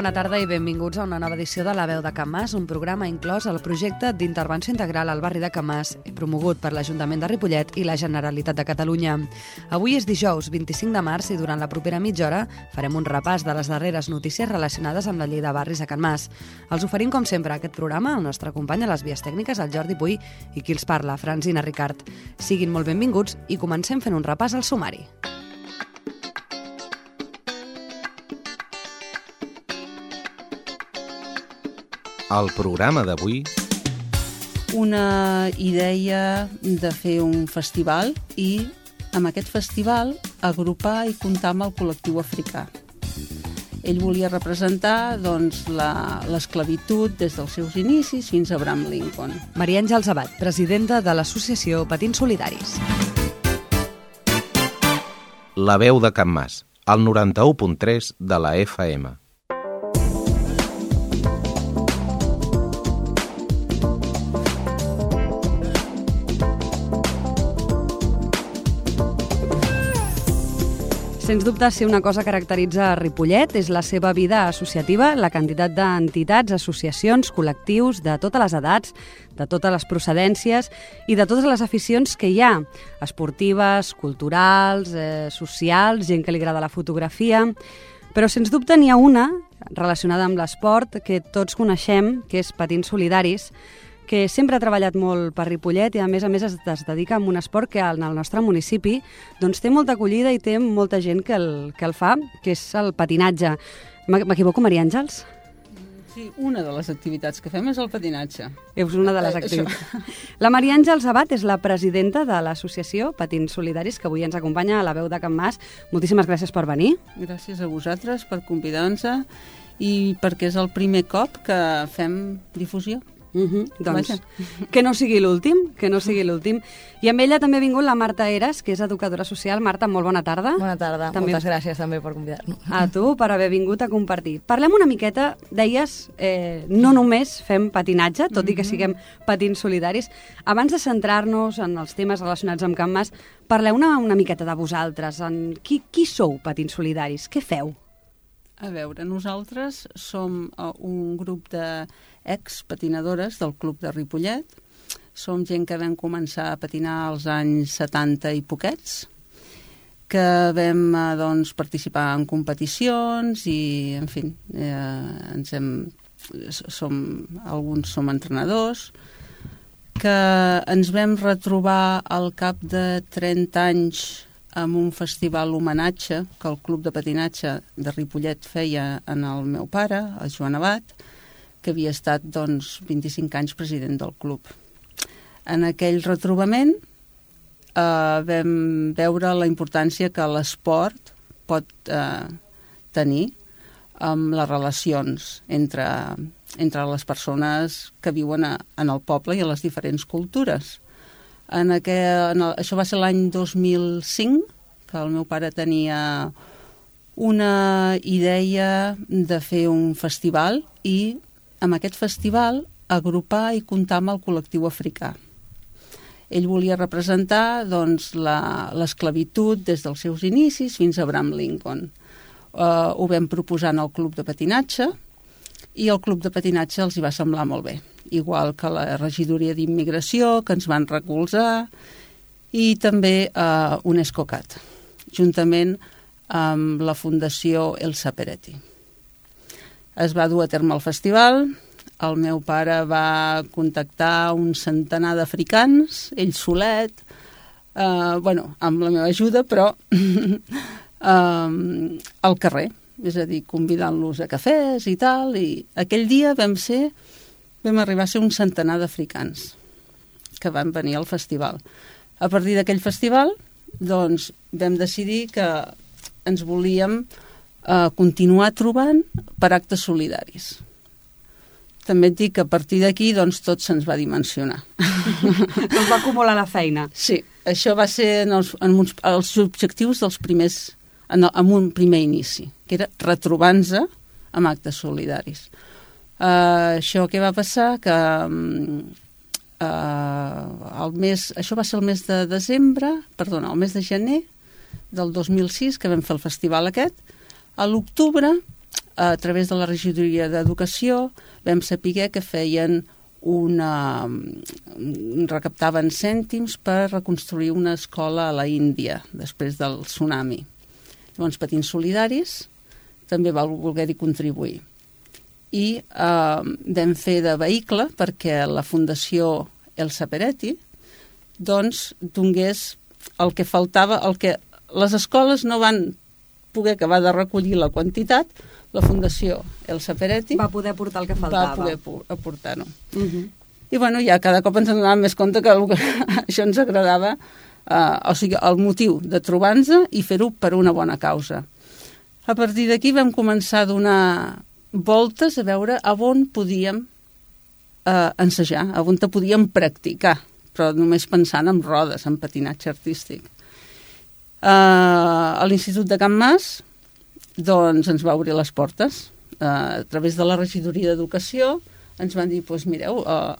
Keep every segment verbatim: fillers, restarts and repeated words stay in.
bona tarda i benvinguts a una nova edició de La Veu de Can Mas, un programa inclòs al projecte d'intervenció integral al barri de Can Mas, promogut per l'Ajuntament de Ripollet i la Generalitat de Catalunya. Avui és dijous, vint-i-cinc de març, i durant la propera mitja hora farem un repàs de les darreres notícies relacionades amb la llei de barris a Can Mas. Els oferim, com sempre, aquest programa el nostre company a les vies tècniques, el Jordi Puy, i qui els parla, Francina Ricart. Siguin molt benvinguts i comencem fent un repàs al sumari. Al programa d'avui... Una idea de fer un festival i, amb aquest festival, agrupar i comptar amb el col·lectiu africà. Ell volia representar doncs, l'esclavitud des dels seus inicis fins a Abraham Lincoln. Maria Àngels Abad, presidenta de l'associació Patins Solidaris. La Veu de Can Mas, al noranta-u punt tres de la F M. Sens dubte, si una cosa caracteritza a Ripollet és la seva vida associativa, la quantitat d'entitats, associacions, col·lectius de totes les edats, de totes les procedències i de totes les aficions que hi ha, esportives, culturals, eh, socials, gent que li agrada la fotografia. Però, sens dubte, n'hi ha una relacionada amb l'esport que tots coneixem, que és Patins Solidaris, que sempre ha treballat molt per Ripollet i a més a més es, es dedica a un esport que en el nostre municipi doncs, té molta acollida i té molta gent que el, que el fa, que és el patinatge. M'equivoco, Maria Àngels? Sí, una de les activitats que fem és el patinatge. És una de les activitats. La Maria Àngels Abad és la presidenta de l'associació Patins Solidaris, que avui ens acompanya a La Veu de Can Mas. Moltíssimes gràcies per venir. Gràcies a vosaltres per convidar-nos i perquè és el primer cop que fem difusió. Uh -huh. Doncs Vaja. que no sigui l'últim, que no sigui l'últim. I amb ella també ha vingut la Marta Eras, que és educadora social. Marta, molt bona tarda. Bona tarda, també... moltes gràcies també per convidar-nos. A tu, per haver vingut a compartir. Parlem una miqueta, deies, eh, no només fem patinatge, tot i que siguem patins solidaris. Abans de centrar-nos en els temes relacionats amb Can Mas, parleu una, una miqueta de vosaltres. En qui, qui sou Patins Solidaris? Què feu? A veure, nosaltres som un grup de ex-patinadores del Club de Ripollet. Som gent que vam començar a patinar als anys setanta i poquets, que vam doncs, participar en competicions i, en fi, eh, ens hem, som, alguns som entrenadors, que ens vam retrobar al cap de trenta anys amb un festival homenatge que el Club de Patinatge de Ripollet feia en el meu pare, el Joan Abad, que havia estat doncs, vint-i-cinc anys president del club. En aquell retrobament eh, vam veure la importància que l'esport pot eh, tenir amb les relacions entre, entre les persones que viuen a, en el poble i a les diferents cultures. En aquel, en el, això va ser l'any dos mil cinc, que el meu pare tenia una idea de fer un festival i amb aquest festival agrupar i comptar amb el col·lectiu africà. Ell volia representar doncs, l'esclavitud des dels seus inicis fins a Abraham Lincoln. Uh, ho vam proposar en el Club de Patinatge i el Club de Patinatge els hi va semblar molt bé, igual que la regidoria d'immigració, que ens van recolzar, i també uh, UNESCOCAT, juntament amb la Fundació Elsa Peretti. Es va dur a terme el festival, el meu pare va contactar un centenar d'africans, ell solet, uh, bueno, amb la meva ajuda, però uh, al carrer, és a dir, convidant-los a cafès i tal, i aquell dia vam ser, vam arribar a ser un centenar d'africans que van venir al festival. A partir d'aquell festival, doncs, vam decidir que ens volíem eh, continuar trobant per actes solidaris. També et dic que a partir d'aquí, doncs, tot se'ns va dimensionar. Ens va acumular la feina. Sí, això va ser en els, en uns, els objectius dels primers, en, en un primer inici, que era retrobar-nos amb actes solidaris. Uh, això què va passar? Que uh, el mes, això va ser el mes de desembre, perdona, el mes de gener del dos mil sis, que vam fer el festival aquest. A l'octubre a través de la regidoria d'Educació vam saber que feien una... recaptaven cèntims per reconstruir una escola a la Índia després del tsunami. Llavors, Patins Solidaris també va voler-hi contribuir. I eh, vam fer de vehicle perquè la Fundació Elsa Peretti doncs donés el que faltava, el que les escoles no van poder acabar de recollir la quantitat, la Fundació Elsa Peretti va poder portar el que faltava. Va poder aportar-ho. Uh -huh. I bueno, ja cada cop ens donàvem més compte que això ens agradava, eh, o sigui, el motiu de trobar-nos i fer-ho per una bona causa. A partir d'aquí vam començar a donar voltes a veure a on podíem eh, ensejar, a on te podíem practicar, però només pensant en rodes, en patinatge artístic. Eh, a l'Institut de Can Mas doncs ens va obrir les portes. Eh, a través de la regidoria d'Educació ens van dir, doncs mireu, eh,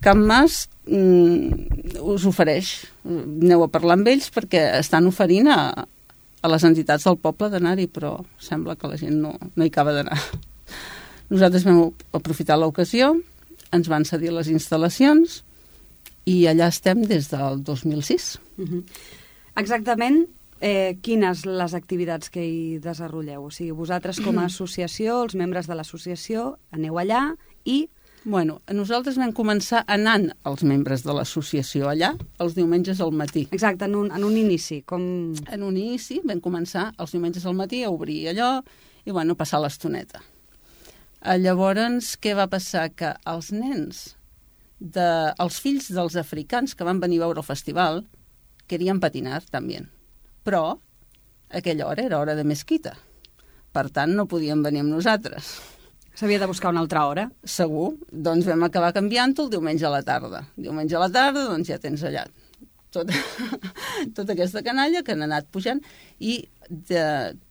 Can Mas mm, us ofereix, aneu a parlar amb ells perquè estan oferint a, a les entitats del poble d'anar-hi, però sembla que la gent no, no hi acaba d'anar. Nosaltres vam aprofitar l'ocasió, ens van cedir les instal·lacions i allà estem des del dos mil sis. Uh-huh. Exactament, eh, quines les activitats que hi desenvolupeu? O sigui, vosaltres com a associació, els membres de l'associació, aneu allà i... Bueno, nosaltres vam començar anant els membres de l'associació allà els diumenges al matí. Exacte, en un, en un inici. Com... En un inici vam començar els diumenges al matí a obrir allò i, bueno, passar l'estoneta. Llavors, què va passar? Que els nens, de, els fills dels africans que van venir a veure el festival, querien patinar també. Però aquella hora era hora de mesquita. Per tant, no podien venir amb nosaltres. S'havia de buscar una altra hora. Segur. Doncs vam acabar canviant-ho el diumenge a la tarda. Diumenge a la tarda, doncs ja tens allà tota, tota aquesta canalla que han anat pujant i de,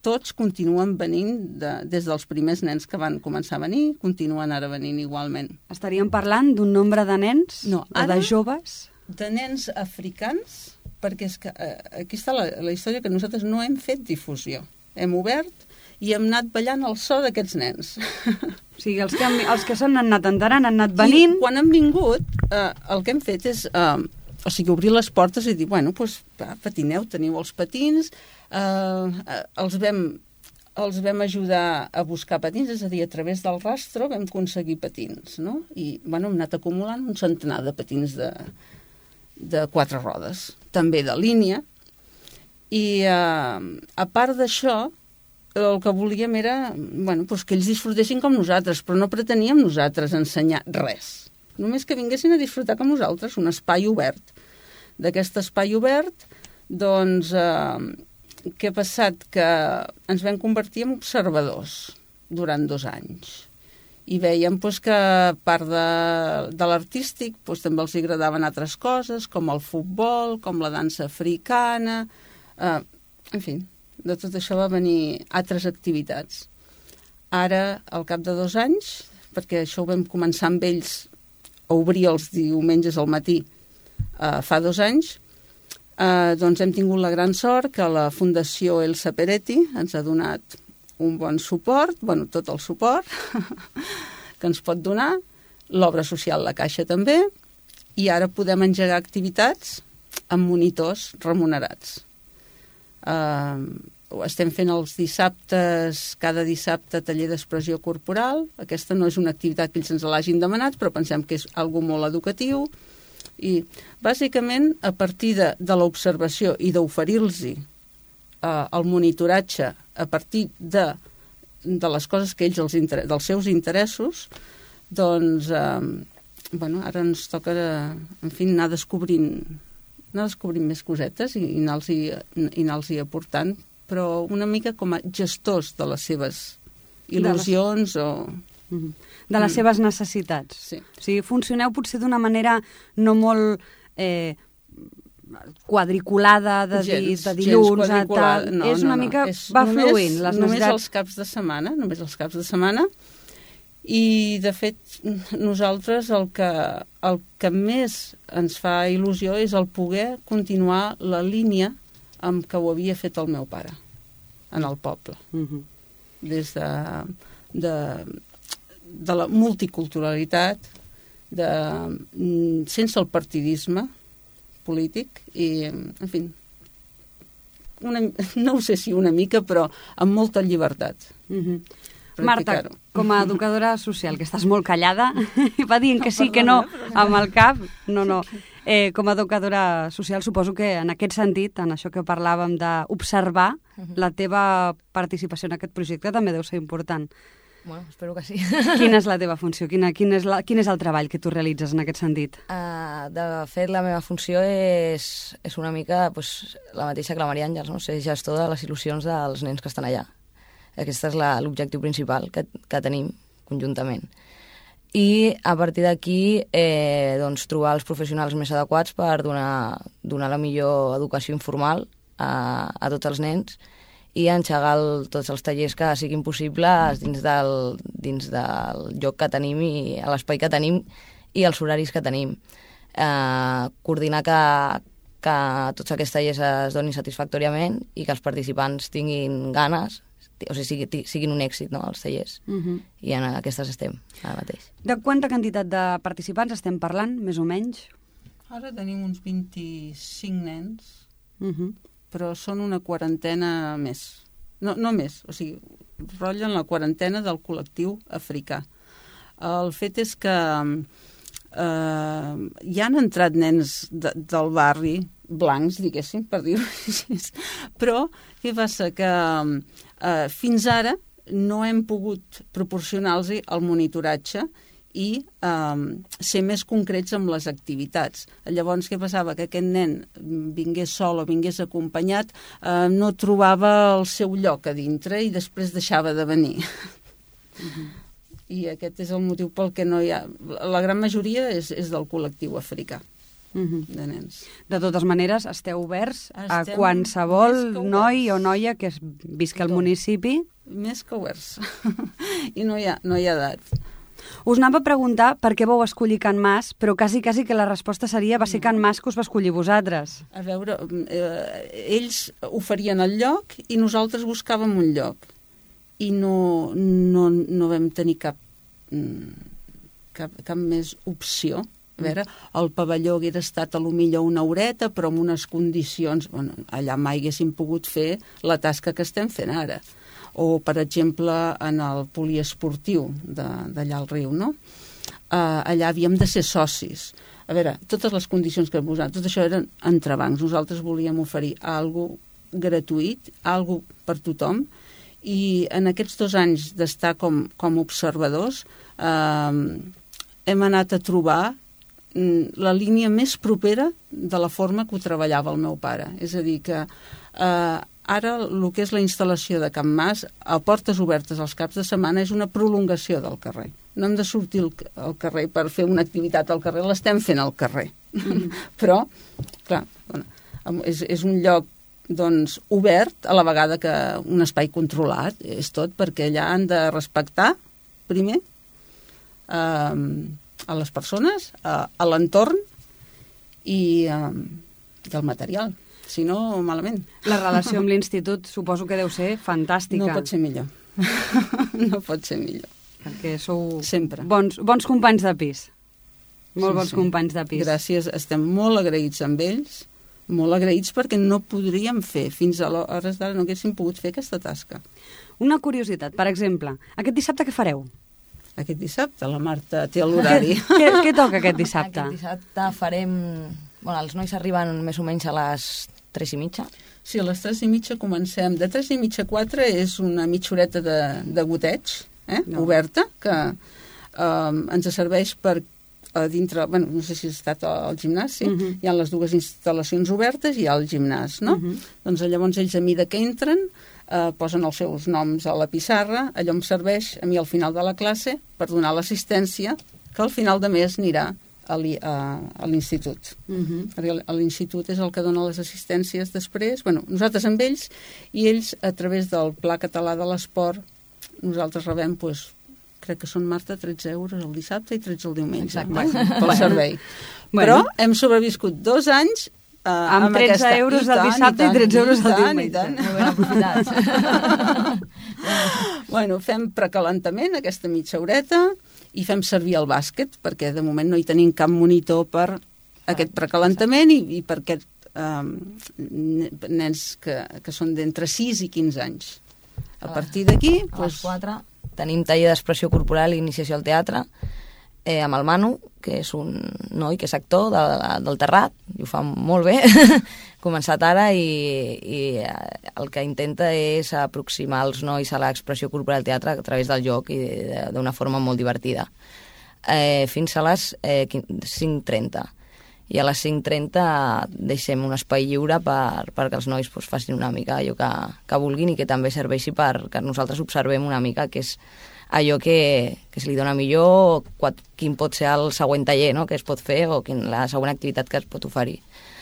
tots continuen venint de, des dels primers nens que van començar a venir, continuen ara venint igualment. Estaríem parlant d'un nombre de nens no, o de joves? De nens africans, perquè és que eh, aquí està la, la història que nosaltres no hem fet difusió. Hem obert i hem anat ballant el so d'aquests nens. O sigui, els que, han, els que s'han anat enterant han anat venint... I quan han vingut, eh, el que hem fet és eh, o sigui, obrir les portes i dir, bueno, doncs, va, patineu, teniu els patins, eh, els, vam, els vam ajudar a buscar patins, és a dir, a través del rastro vam aconseguir patins, no? I, bueno, hem anat acumulant un centenar de patins de, de quatre rodes, també de línia, i eh, a part d'això, el que volíem era, bueno, doncs que ells disfrutessin com nosaltres, però no preteníem nosaltres ensenyar res. Només que vinguessin a disfrutar com nosaltres, un espai obert. D'aquest espai obert, doncs, eh, què ha passat? Que ens vam convertir en observadors durant dos anys. I veiem doncs, que a part de, de l'artístic doncs, també els agradaven altres coses, com el futbol, com la dansa africana, eh, en fi, de tot això va venir altres activitats. Ara, al cap de dos anys, perquè això ho vam començar amb ells a obrir els diumenges al matí eh, fa dos anys, eh, doncs hem tingut la gran sort que la Fundació Elsa Peretti ens ha donat un bon suport, bueno, tot el suport que ens pot donar, l'obra social La Caixa també, i ara podem engegar activitats amb monitors remunerats. Uh, estem fent els dissabtes, cada dissabte taller d'expressió corporal. Aquesta no és una activitat que ells ens l'hagin demanat, però pensem que és algo molt educatiu i bàsicament a partir de, de l'observació i d'oferir-los uh, el monitoratge a partir de, de les coses que ells, els inter... dels seus interessos, doncs uh, bueno, ara ens toca en fi, anar descobrint anar descobrint més cosetes i, i anar-los i anar-los aportant, però una mica com a gestors de les seves il·lusions de les... o... De les mm. seves necessitats. Sí. O sigui, funcioneu potser d'una manera no molt eh, quadriculada de, gens, di, de dilluns a tal. No, és una no, mica... no. És va només, fluint. Les només necessitats... els caps de setmana, només els caps de setmana. I, de fet, nosaltres el que, el que més ens fa il·lusió és el poder continuar la línia amb què ho havia fet el meu pare, en el poble. Uh-huh. des de, de, de la multiculturalitat, de, sense el partidisme polític i, en fi, una, no ho sé si una mica, però amb molta llibertat. Mm-hmm. Marta, com a educadora social, que estàs molt callada, i va dient que sí, que no, amb el cap, no, no. Eh, com a educadora social, suposo que en aquest sentit, en això que parlàvem d'observar, uh-huh. la teva participació en aquest projecte també deu ser important. Bueno, espero que sí. Quina és la teva funció? Quina, quin, és la, quin és el treball que tu realitzes en aquest sentit? Uh, de fet, la meva funció és, és una mica pues, la mateixa que la Maria Àngels, no? Ser gestor de les il·lusions dels nens que estan allà. Aquest és l'objectiu principal que, que tenim conjuntament. I a partir d'aquí eh, doncs, trobar els professionals més adequats per donar, donar la millor educació informal a, a tots els nens i enxegar el, tots els tallers que siguin possibles dins del, dins del lloc que tenim i a l'espai que tenim i els horaris que tenim. Eh, coordinar que, que tots aquests tallers es donin satisfactòriament i que els participants tinguin ganes, o sigui, siguin un èxit, no?, els tallers. Uh-huh. I en aquestes estem, ara mateix. De quanta quantitat de participants estem parlant, més o menys? Ara tenim uns vint-i-cinc nens, uh-huh. però són una quarantena més. No, no més, o sigui, rotllen la quarantena del col·lectiu africà. El fet és que eh, hi han entrat nens de, del barri, blancs, diguéssim, per dir-ho així, però què passa? Que eh, fins ara no hem pogut proporcionar-los el monitoratge i eh, ser més concrets amb les activitats. Llavors, què passava? Que aquest nen vingués sol o vingués acompanyat, eh, no trobava el seu lloc a dintre i després deixava de venir. Uh-huh. I aquest és el motiu pel que no hi ha... La gran majoria és, és del col·lectiu africà. Uh-huh. De nens. De totes maneres, esteu oberts Estem a qualsevol noi o noia que es visca al municipi? Més que oberts. I no hi ha, no hi ha edat. Us anava a preguntar per què vau escollir Can Mas, però quasi, quasi que la resposta seria va ser Can Mas que us va escollir vosaltres. A veure, eh, ells oferien el lloc i nosaltres buscàvem un lloc. I no, no, no vam tenir cap, cap, cap més opció. A veure, el pavelló hagués estat a lo millor una horeta, però amb unes condicions... Bueno, allà mai haguéssim pogut fer la tasca que estem fent ara. O, per exemple, en el poliesportiu d'allà al riu, no? Uh, allà havíem de ser socis. A veure, totes les condicions que hem posat, tot això eren entrebancs. Nosaltres volíem oferir algo gratuït, algo per tothom, i en aquests dos anys d'estar com, com observadors uh, hem anat a trobar la línia més propera de la forma que ho treballava el meu pare. És a dir, que eh, ara el que és la instal·lació de Can Mas a portes obertes als caps de setmana és una prolongació del carrer. No hem de sortir al, al carrer per fer una activitat al carrer, l'estem fent al carrer. Mm. Però, clar, bueno, és, és un lloc doncs, obert, a la vegada que un espai controlat, és tot, perquè allà han de respectar, primer, eh, a les persones, a, a l'entorn i, um, i el material. Si no, malament. La relació amb l'institut suposo que deu ser fantàstica. No pot ser millor. No pot ser millor. Perquè sou sempre bons, bons companys de pis. Molt sí, bons sí. companys de pis. Gràcies, estem molt agraïts amb ells, molt agraïts perquè no podríem fer, fins a l'hores d'ara no haguéssim pogut fer aquesta tasca. Una curiositat, per exemple, aquest dissabte què fareu? Aquest dissabte la Marta té l'horari. Què, què toca aquest dissabte? Aquest dissabte farem... Bueno, els nois arriben més o menys a les tres i mitja. Sí, a les tres i mitja comencem. De tres i mitja a quatre és una mitja horeta de, de goteig, eh? No. Oberta, que eh, ens serveix per a dintre... Bueno, no sé si has estat al gimnàs, sí? Uh-huh. Hi ha les dues instal·lacions obertes i hi ha el gimnàs, no? Uh-huh. Doncs llavors ells a mida que entren eh, posen els seus noms a la pissarra, allò em serveix a mi al final de la classe per donar l'assistència que al final de mes anirà a l'institut. Uh-huh. Perquè l'institut és el que dona les assistències després, bueno, nosaltres amb ells, i ells a través del Pla Català de l'Esport nosaltres rebem, doncs, crec que són, Marta, tretze euros el dissabte i tretze el diumenge. Exacte. Bueno, pel servei. Bueno. Però hem sobreviscut dos anys Uh, amb, amb tretze aquesta... euros el dissabte i, tant, i tretze euros el diumenge. Molt ben aprofitats. Bueno, fem precalentament, aquesta mitja horeta, i fem servir el bàsquet, perquè de moment no hi tenim cap monitor per aquest precalentament i, i per aquests um, nens que, que són d'entre sis i quinze anys. A partir d'aquí... A les quatre tenim taller d'expressió corporal i iniciació al teatre, eh, amb el Manu, que és un noi que és actor de, del Terrat, i ho fa molt bé, començat ara, i, i el que intenta és aproximar els nois a l'expressió corporal al teatre a través del joc i d'una forma molt divertida. Eh, fins a les eh, cinc trenta. I a les cinc trenta deixem un espai lliure per, perquè els nois pues, facin una mica allò que, que vulguin i que també serveixi perquè nosaltres observem una mica que és allò que, que se li dona millor, quin pot ser el següent taller, no?, que es pot fer o quin, la següent activitat que es pot oferir.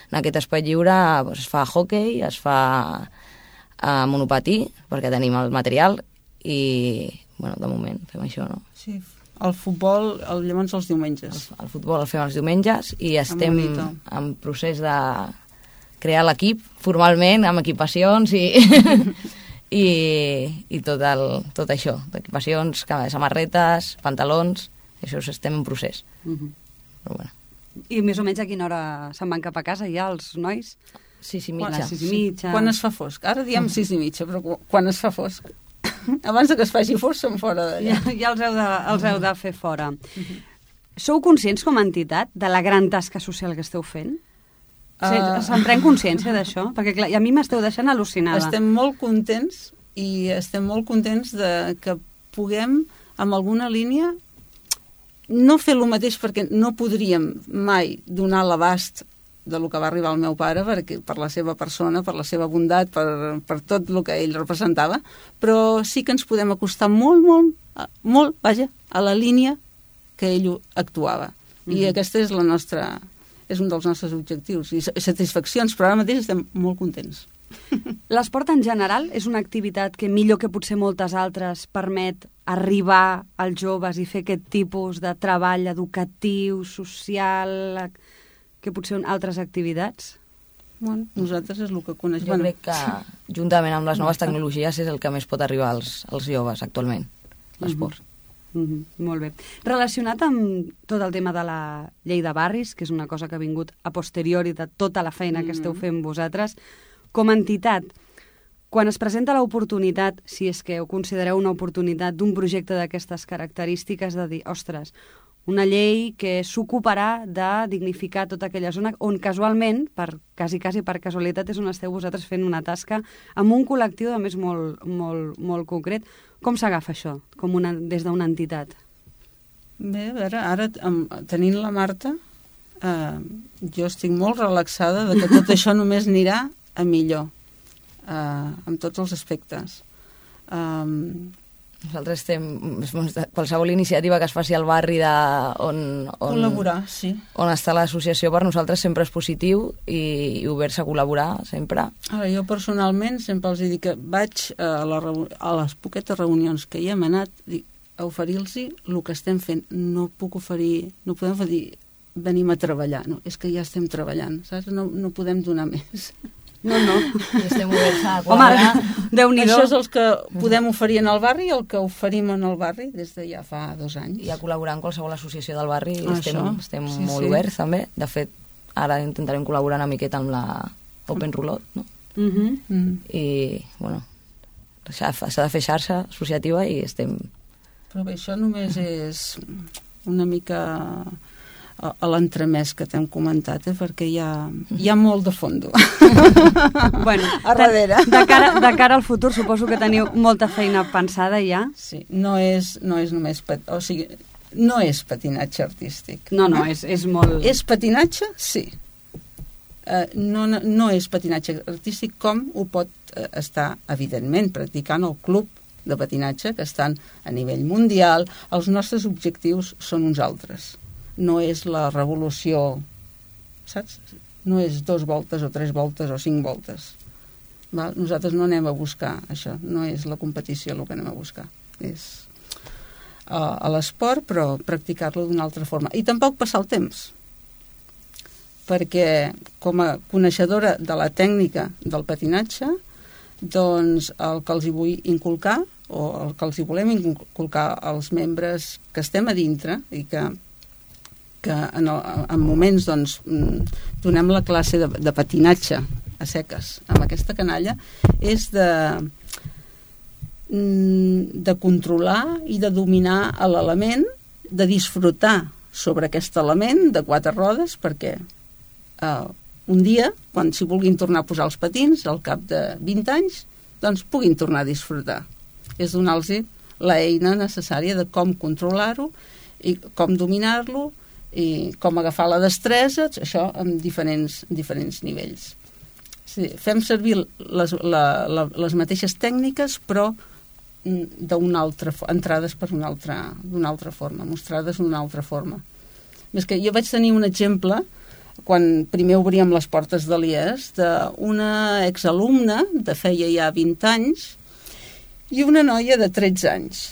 En aquest espai lliure pues, es fa hockey, es fa uh, monopatí, perquè tenim el material, i, bueno, de moment fem això, no? Sí, el futbol, el, llavors els diumenges. El, el futbol el fem els diumenges i estem en procés de crear l'equip formalment, amb equipacions i... I, i tot, el, tot això, equipacions, samarretes, pantalons, això estem en procés. Uh-huh. Però bueno. I més o menys a quina hora se'n van cap a casa ja els nois? Sis i mitja. Quan, sis i mitja. Quan es fa fosc. Ara diem sis i mitja, però quan es fa fosc. Abans que es faci fosc són fora d'allà. Ja, ja els, heu de, els heu de fer fora. Uh-huh. Sou conscients com a entitat de la gran tasca social que esteu fent? Uh... Se'n pren consciència d'això? Perquè clar, a mi m'esteu deixant al·lucinada. Estem molt contents i estem molt contents de que puguem, amb alguna línia, no fer el mateix perquè no podríem mai donar l'abast de lo que va arribar al meu pare perquè, per la seva persona, per la seva bondat, per, per tot el que ell representava, però sí que ens podem acostar molt, molt, molt, vaja, a la línia que ell actuava. Mm-hmm. I aquesta és la nostra... és un dels nostres objectius i satisfaccions, però ara mateix estem molt contents. L'esport en general és una activitat que millor que potser moltes altres permet arribar als joves i fer aquest tipus de treball educatiu, social, que potser altres activitats? Bueno, nosaltres és el que coneixem. Jo bueno. crec que juntament amb les noves tecnologies és el que més pot arribar als, als joves actualment, l'esport. Mm-hmm. Mm-hmm, molt bé. Relacionat amb tot el tema de la llei de barris, que és una cosa que ha vingut a posteriori de tota la feina que esteu fent vosaltres, com a entitat, quan es presenta l'oportunitat, si és que ho considereu una oportunitat d'un projecte d'aquestes característiques, de dir, ostres, una llei que s'ocuparà de dignificar tota aquella zona on casualment, per quasi, quasi per casualitat, és on esteu vosaltres fent una tasca amb un col·lectiu, a més, molt, molt, molt concret. Com s'agafa això, com una, des d'una entitat? Bé, a veure, ara amb, tenint la Marta, eh, jo estic molt relaxada de que tot això només anirà a millor, eh, en tots els aspectes. Eh, Nosaltres estem... Qualsevol iniciativa que es faci al barri de, on, on, col·laborar, sí. On està l'associació per nosaltres sempre és positiu i, i obert-se a col·laborar sempre. Ara, jo personalment sempre els dic que vaig a, la, a les poquetes reunions que hi hem anat dic, a oferir-los el que estem fent. No puc oferir... No podem oferir venim a treballar. No, és que ja estem treballant, saps? No, no podem donar més. No, no. I estem oberts a col·laborar. Home, Déu-n'hi-do. Això és el que podem oferir en el barri, el que oferim en el barri des de ja fa dos anys. I a col·laborar en qualsevol associació del barri ah, estem, estem sí, molt sí. oberts també. De fet, ara intentarem col·laborar una miqueta amb la Open Roulotte, no? Mm-hmm. Mm. I, bueno, s'ha de fer xarxa associativa i estem... Però bé, això només és una mica a, a l'entremès que t'hem comentat, eh? Perquè hi ha, hi ha molt de fondo. Bueno, a darrere. De cara, de cara al futur suposo que teniu molta feina pensada ja. Sí, no és, no és només... Pat... O sigui, no és patinatge artístic. No, no, és, és molt... És patinatge? Sí. Uh, no, no, no és patinatge artístic com ho pot uh, estar, evidentment, practicant el club de patinatge, que estan a nivell mundial. Els nostres objectius són uns altres. No és la revolució, saps? No és dos voltes o tres voltes o cinc voltes. Val? Nosaltres no anem a buscar això. No és la competició el que anem a buscar. És uh, a l'esport, però practicar-lo d'una altra forma. I tampoc passar el temps. Perquè com a coneixedora de la tècnica del patinatge, doncs el que els hi vull inculcar o el que els hi volem inculcar als membres que estem a dintre i que, que en, el, en moments doncs, donem la classe de, de patinatge a seques amb aquesta canalla, és de, de controlar i de dominar l'element, de disfrutar sobre aquest element de quatre rodes, perquè eh, un dia, quan s'hi vulguin tornar a posar els patins, al cap de vint anys, doncs puguin tornar a disfrutar. És donar-los l'eina necessària de com controlar-ho i com dominar-lo i com agafar la destresa, això en diferents, diferents nivells. Sí, fem servir les, la, la, les mateixes tècniques, però d'una altra, entrades per una altra, d'una altra forma, mostrades d'una altra forma. És que jo vaig tenir un exemple, quan primer obríem les portes de l'I E S, d'una exalumna de feia ja vint anys i una noia de tretze anys.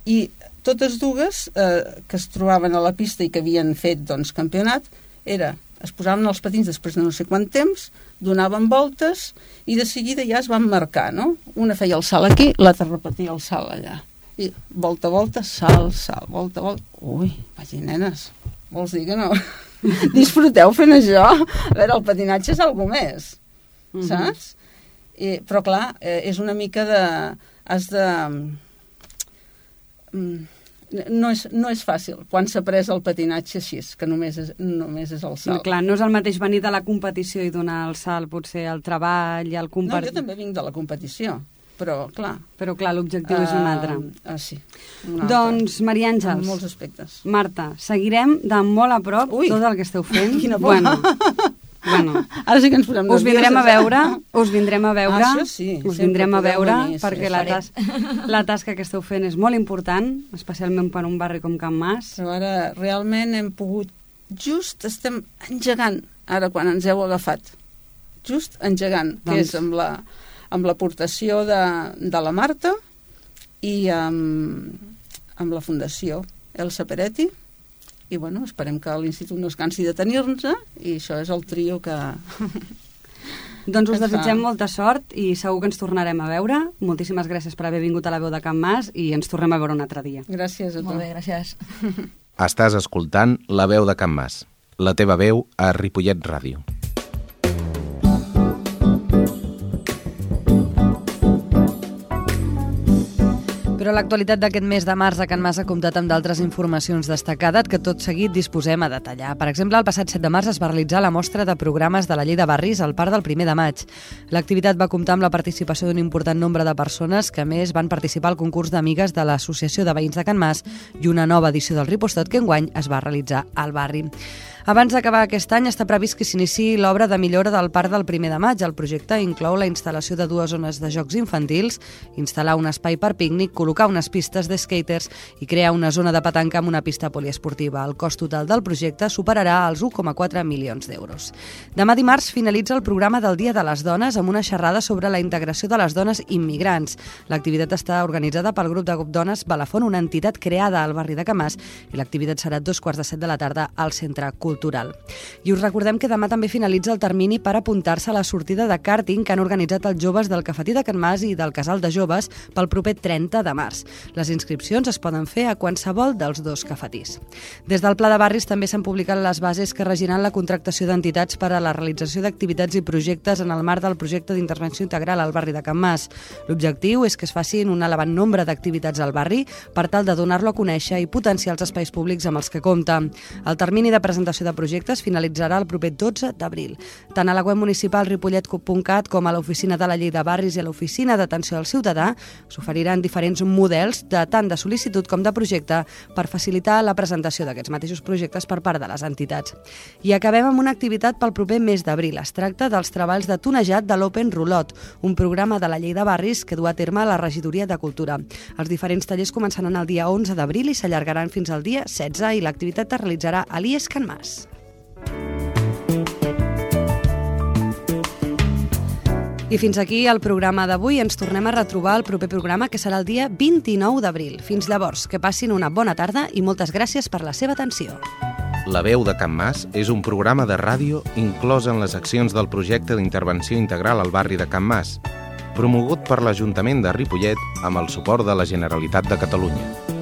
I totes dues eh, que es trobaven a la pista i que havien fet doncs, campionat, era, es posaven els patins després de no sé quant temps, donaven voltes i de seguida ja es van marcar, no? Una feia el salt aquí, l'altra repetia el salt allà. I volta, volta, salt, salt, volta, volta... Ui, vaig dir, nenes, vols dir que no? Disfruteu fent això? A veure, el patinatge és alguna més, mm-hmm. saps? I, però clar, eh, és una mica de... Has de... Mm, no és, no és fàcil quan s'ha pres el patinatge així, que només és, només és el salt. Clar, no és el mateix venir de la competició i donar el salt, potser el treball, el compartir... No, jo també vinc de la competició, però clar... Però clar, l'objectiu uh, és un altre. Ah, sí. Un altre. Doncs, Maria Àngels... En molts aspectes. Marta, seguirem de molt a prop Ui. tot el que esteu fent. Quina por. Bueno, bueno. Ara sí que ens posem us vindrem a veure, us vindrem a veure, ah, sí, us vindrem a veure, venir, perquè sí, la, tas la tasca que esteu fent és molt important, especialment per un barri com Can Mas. Però ara realment hem pogut, just estem engegant, ara quan ens heu agafat, just engegant, doncs... que és amb la amb l'aportació de, de la Marta i amb, amb la Fundació Elsa Peretti. I bueno, esperem que l'Institut no es cansi de tenir-nos i això és el trio que... Doncs us desitgem molta sort i segur que ens tornarem a veure. Moltíssimes gràcies per haver vingut a la veu de Can Mas i ens tornem a veure un altre dia. Gràcies a tu. Molt bé, gràcies. Estàs escoltant La veu de Can Mas, la teva veu a Ripollet Ràdio. Però l'actualitat d'aquest mes de març a Can Mas ha comptat amb d'altres informacions destacades que tot seguit disposem a detallar. Per exemple, el passat set de març es va realitzar la mostra de programes de la Llei de Barris al Parc del primer de maig. L'activitat va comptar amb la participació d'un important nombre de persones que, a més, van participar al concurs d'amigues de l'Associació de Veïns de Can Mas i una nova edició del Ripostot que enguany es va realitzar al barri. Abans d'acabar aquest any està previst que s'iniciï l'obra de millora del Parc del primer de maig. El projecte inclou la instal·lació de dues zones de jocs infantils, instal·lar un espai per pícnic, col·locar unes pistes de skaters i crear una zona de petanca amb una pista poliesportiva. El cost total del projecte superarà els u coma quatre milions d'euros. Demà dimarts finalitza el programa del Dia de les Dones amb una xerrada sobre la integració de les dones immigrants. L'activitat està organitzada pel grup de Dones Balafon, una entitat creada al barri de Can Mas, i l'activitat serà a dos quarts de set de la tarda al Centre Cultural. I us recordem que demà també finalitza el termini per apuntar-se a la sortida de kàrting que han organitzat els joves del Cafetí de Can Mas i del Casal de Joves pel proper trenta de març. Les inscripcions es poden fer a qualsevol dels dos cafetís. Des del Pla de Barris també s'han publicat les bases que regiran la contractació d'entitats per a la realització d'activitats i projectes en el marc del projecte d'intervenció integral al barri de Can Mas. L'objectiu és que es facin un elevat nombre d'activitats al barri per tal de donar-lo a conèixer i potenciar els espais públics amb els que compta. El termini de presentació de projectes finalitzarà el proper dotze d'abril. Tant a la web municipal ripollet punt cat com a l'oficina de la Llei de Barris i a l'oficina d'atenció al ciutadà s'oferiran diferents models de tant de sol·licitud com de projecte per facilitar la presentació d'aquests mateixos projectes per part de les entitats. I acabem amb una activitat pel proper mes d'abril. Es tracta dels treballs de tonejat de l'Open Rulot, un programa de la Llei de Barris que du a terme la Regidoria de Cultura. Els diferents tallers començaran el dia onze d'abril i s'allargaran fins al dia setze i l'activitat es realitzarà a l'I E S Can Mas. I fins aquí el programa d'avui. Ens tornem a retrobar al proper programa, que serà el dia vint-i-nou d'abril. Fins llavors, que passin una bona tarda i moltes gràcies per la seva atenció. La veu de Can Mas és un programa de ràdio inclòs en les accions del projecte d'intervenció integral al barri de Can Mas. promogut per l'Ajuntament de Ripollet amb el suport de la Generalitat de Catalunya.